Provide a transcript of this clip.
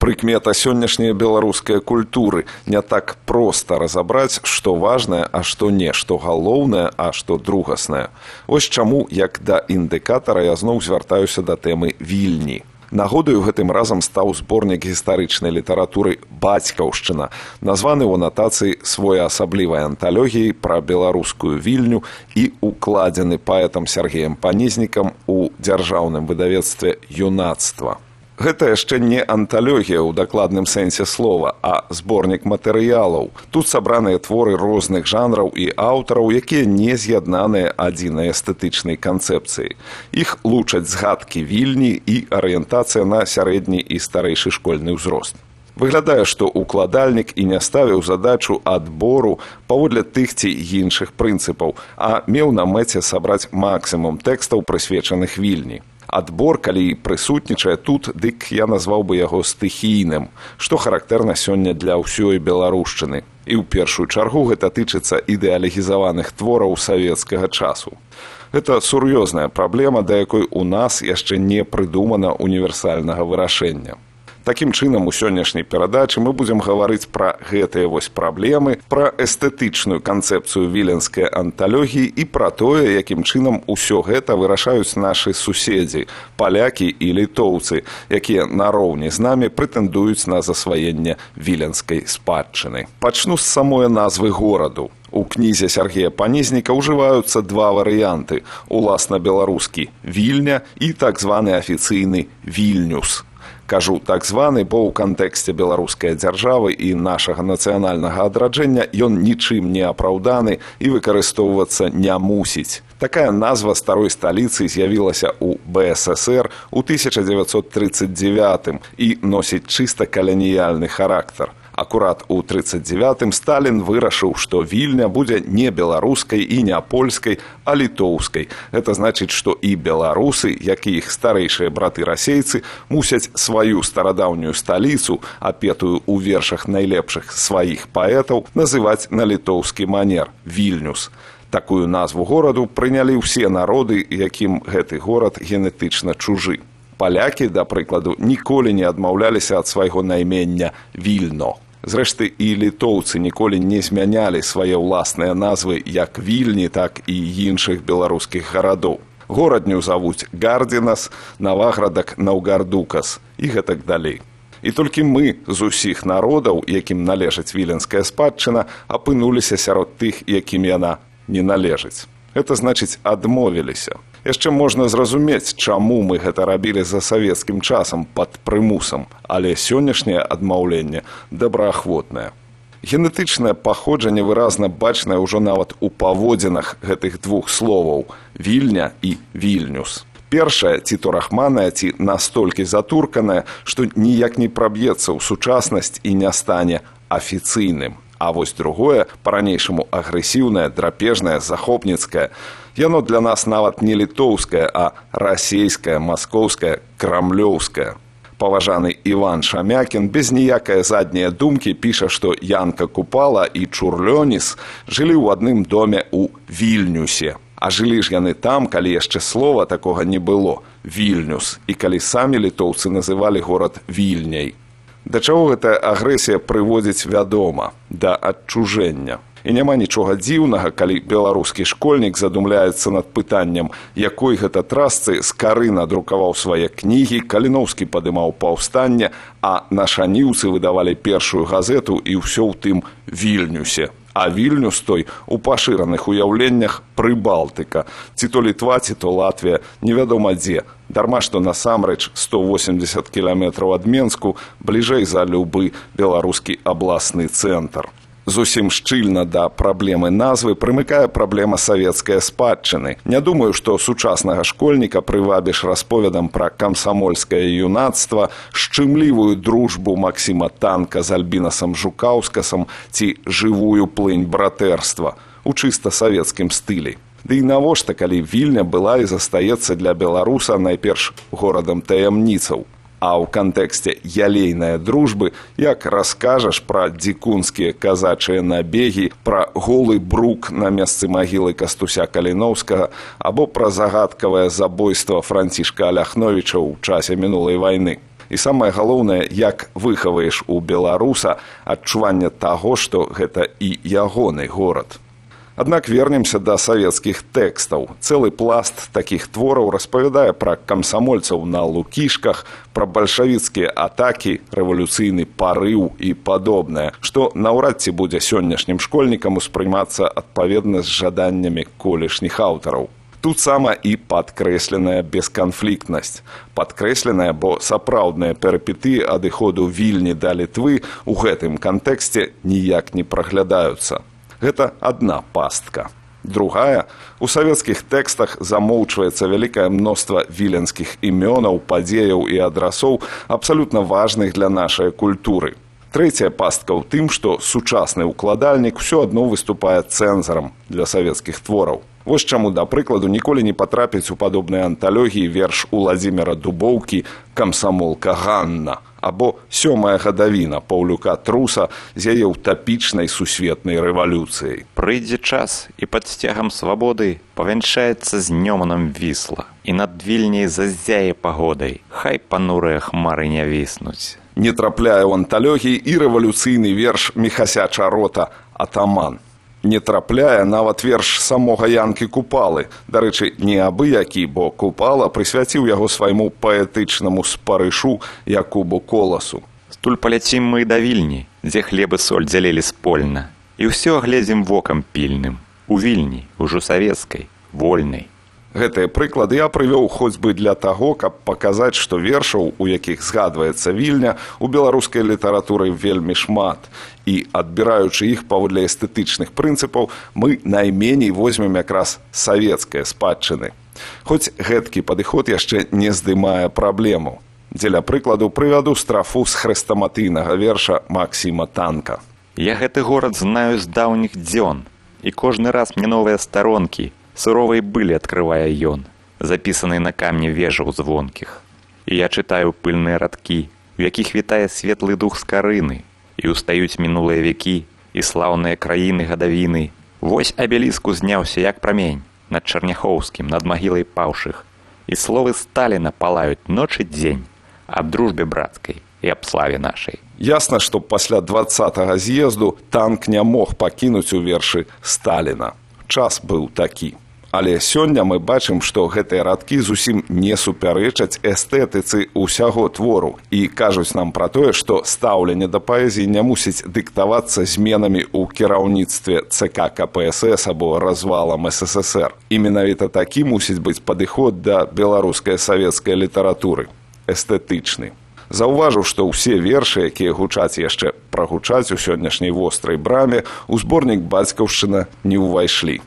Прыкмета сённяшняй беларускай культуры. Не так проста разабраць, што важнае, а што не, што галоўнае, а што другаснае. Вось чаму, як да індыкатара, я зноў звяртаюся да тэмы Вільні. Нагодаю гэтым разам стаў зборнік гістарычнай літаратуры «Бацькаўшчына», названы ў анатацыі своеасаблівай анталогіяй пра беларускую Вільню і укладзены паэтам Сергеем Панізнікам у дзяржаўным выдавецтве «Юнацтва». Гэта яшчэ не анталогія ў дакладным сэнсе слова, а зборнік матэрыялаў. Тут сабраныя творы розных жанраў і аўтараў, якія не з'яднаныя адзінай эстэтычнай канцэпцыяй. Іх лучаць згадкі Вільні і арыентацыя на сярэдні і старэйшы школьны ўзрост. Выглядае, што укладальнік і не ставіў задачу адбору паводле тых ці іншых прынцыпаў, а меў на мэце сабраць максімум тэкстаў, прысвечаных Вільні. Адбор, калі прысутнічае тут, дык я назваў бы яго стыхійным, што характэрна сёння для ўсёй беларушчыны. І ў першую чаргу гэта тычыцца ідэалегізаваных твораў савецкага часу. Гэта сур'ёзная праблема, да якой у нас яшчэ не прыдумана універсальнага вырашэння. Такім чынам, у сённяшняй перадачы мы будзем гаварыць пра гэтыя вось праблемы, пра эстэтычную канцэпцыю віленскай анталогіі і пра тое, якім чынам усё гэта вырашаюць нашы суседзі, палякі і літоўцы, якія нароўні з намі прэтэндуюць на засваенне віленскай спадчыны. Пачну з самой назвы гораду. У кнізе Сергея Панізніка ўжываюцца два варыянты – уласна беларускі «Вільня» і так званы афіцыйны «Вільнюс». Кажу так званы, бо ў кантэксце беларускай дзяржавы і нашага нацыянальнага адраджэння ён нічым не апраўданы і выкарыстоўвацца не мусіць. Такая назва старой сталіцы з'явілася ў БССР у 1939 і носіць чыста каланіяльны характар. Акурат у 1939 Сталін вырашыў, што Вільня будзе не беларускай і не польскай, а літоўскай. Гэта значыць, што і беларусы, як і іх старэйшыя браты-расейцы, мусяць сваю старадаўнюю сталіцу, апетую ў вершах найлепшых сваіх паэтаў, называць на літоўскі манер – Вільнюс. Такую назву гораду прынялі ўсе народы, якім гэты горад генетычна чужы. Палякі, да прыкладу, ніколі не адмаўляліся ад свайго наймення Вільно. Зрэшты, і літоўцы ніколі не змянялі свае ўласныя назвы як Вільні, так і іншых беларускіх гарадоў. Горадню завуць Гардзінас, Наваградак Наўгардукас і гэтак далей. І толькі мы з усіх народаў, якім належыць віленская спадчына, апынуліся сярод тых, якім яна не належыць. Гэта значыць, адмовіліся. Яшчэ можна зразумець, чаму мы гэта рабілі за савецкім часам пад прымусам, але сённяшняе адмаўленне добраахвотнае. Генетычнае паходжанне выразна бачнае ўжо нават у паводзінах гэтых двух словаў – Вільня і Вільнюс. Першае, ці то рахманае, ці настолькі затурканае, што ніяк не праб'ецца ў сучаснасць і не стане афіцыйным. А вось другое, па-ранейшаму агрэсіўнае, драпежнае, захопніцкае, яно для нас нават не літоўскае, а расейскае, маскоўскае, крамлёўскае. Паважаны Іван Шамякін без ніякай задняй думкі піша, што Янка Купала і Чурлёніс жылі ў адным доме ў Вільнюсе. А жылі ж яны там, калі яшчэ слова такога не было – Вільнюс, і калі самі літоўцы называлі горад Вільняй. Да чаго гэтая агрэсія прыводзіць вядома, да адчужэння. І няма нічога дзіўнага, калі беларускі школьнік задумляецца над пытаннем, якой гэта трасцы з кары надрукаваў свае кнігі, Каліноўскі падымаў паўстанне, а нашаніўцы выдавалі першую газету і ўсё ў тым Вільнюсе. А Вільнюс той у пашыраных уяўленнях Прыбалтыка, ці то Літва, ці то Латвія, невядома дзе. Дарма, што насамрэч 180 кіламетраў ад Менску бліжэй за любы беларускі абласны цэнтр. Зусім шчыльна да праблемы назвы прымыкае праблема савецкай спадчыны. Не думаю, што сучаснага школьніка прывабіш расповедам пра камсамольскае юнацтва, шчымлівую дружбу Максіма Танка з Альбінасам Жукаўскасам ці жывую плынь братэрства у чыста савецкім стылі. Ды і навошта, калі Вільня была і застаецца для беларуса найперш горадам таямніцаў. А ў кантэксце ялейнай дружбы, як раскажаш пра дзікунскія казачыя набегі, пра голы брук на месцы магілы Кастуся Каліноўскага або пра загадкавае забойства Францішка Аляхновіча ў часе мінулай вайны. І самае галоўнае, як выхаваеш у беларуса адчуванне таго, што гэта і ягоны горад. Аднак вернемся да савецкіх тэкстаў. Цэлы пласт такіх твораў распавядае пра камсамольцаў на лукішках, пра бальшавіцкія атакі, рэвалюцыйны парыў і падобнае, што наўрад ці будзе сённяшнім школьнікам успрымацца адпаведна з жаданнямі колішніх аўтараў. Тут сама і падкрэсленая бесканфліктнасць. Падкрэсленая, бо сапраўдныя перыпетыі адыходу Вільні да Літвы ў гэтым кантэксце ніяк не праглядаюцца. Гэта адна пастка. Другая, у савецкіх тэкстах замоўчваецца вялікае мноства віленскіх імёнаў, падзеяў і адрасоў, абсалютна важных для нашай культуры. Трэцяя пастка ў тым, што сучасны ўкладальнік усё адно выступае цэнзарам для савецкіх твораў. Вось чаму, да прыкладу, ніколі не патрапіць у падобныя анталогіі верш Уладзіміра Дубоўкі «Камсамолка Ганна» або «Сёмая гадавіна» Паўлюка Труса з яе утапічнай сусветнай рэвалюцыяй. Прыйдзе час, і пад сцягам свабоды павянчаецца з Нёманам Вісла, і над Вільняй заззяе пагодай, хай панурыя хмары не віснуць. Не трапляе ў анталогіі і рэвалюцыйны верш Міхася Чарота «Атаман». Не трапляе нават верш самога Янкі Купалы. Дарэчы, не абы-які, бо Купала прысвяціў яго свайму паэтычнаму спарышу Якубу Коласу. Стуль паляцім мы да Вільні, дзе хлеб і соль дзялелі спольна, і ўсё гледзім вокам пільным. У Вільні, ужо савецкай, вольнай. Гэтыя прыклады я прывёў хоць бы для таго, каб паказаць, што вершаў, у якіх згадваецца Вільня, у беларускай літаратуры вельмі шмат. І, адбіраючы іх паводле эстэтычных прынцыпаў, мы найменей возьмем якраз савецкае спадчыны. Хоць гэткі падыход яшчэ не здымае праблему. Дзеля прыкладу прывяду страфу з хрэстаматыйнага верша Максіма Танка. Я гэты горад знаю з даўніх дзён, і кожны раз мне новыя старонкі суровай былі адкрывае ён, запісаныя на камні вежаў звонкіх. І я чытаю пыльныя радкі, у якіх вітае светлы дух скарыны, і устаюць мінулыя векі і слаўныя краіны гадавіны. Вось абеліск узняўся, як прамень, над Чарняхоўскім, над магілай паўшых, і словы Сталіна палаюць ноч і дзень аб дружбе брацкай і аб славе нашай. Ясна, што пасля 20-го з'езду Танк не мог пакінуць у вершы Сталіна. Час быў такі. Але сёння мы бачым, што гэтыя радкі зусім не супярэчаць эстэтыцы ўсяго твору і кажуць нам пра тое, што стаўленне да паэзіі не мусіць дыктавацца зменамі ў кіраўніцтве ЦК КПСС або развалам СССР. І менавіта такі мусіць быць падыход да беларускай савецкай літаратуры. Эстэтычны. Заўважыў, што ўсе вершы, якія гучаць яшчэ прагучаць у сённяшняй вострай браме, у зборнік «Бацькаўшчына» не ўвайшлі.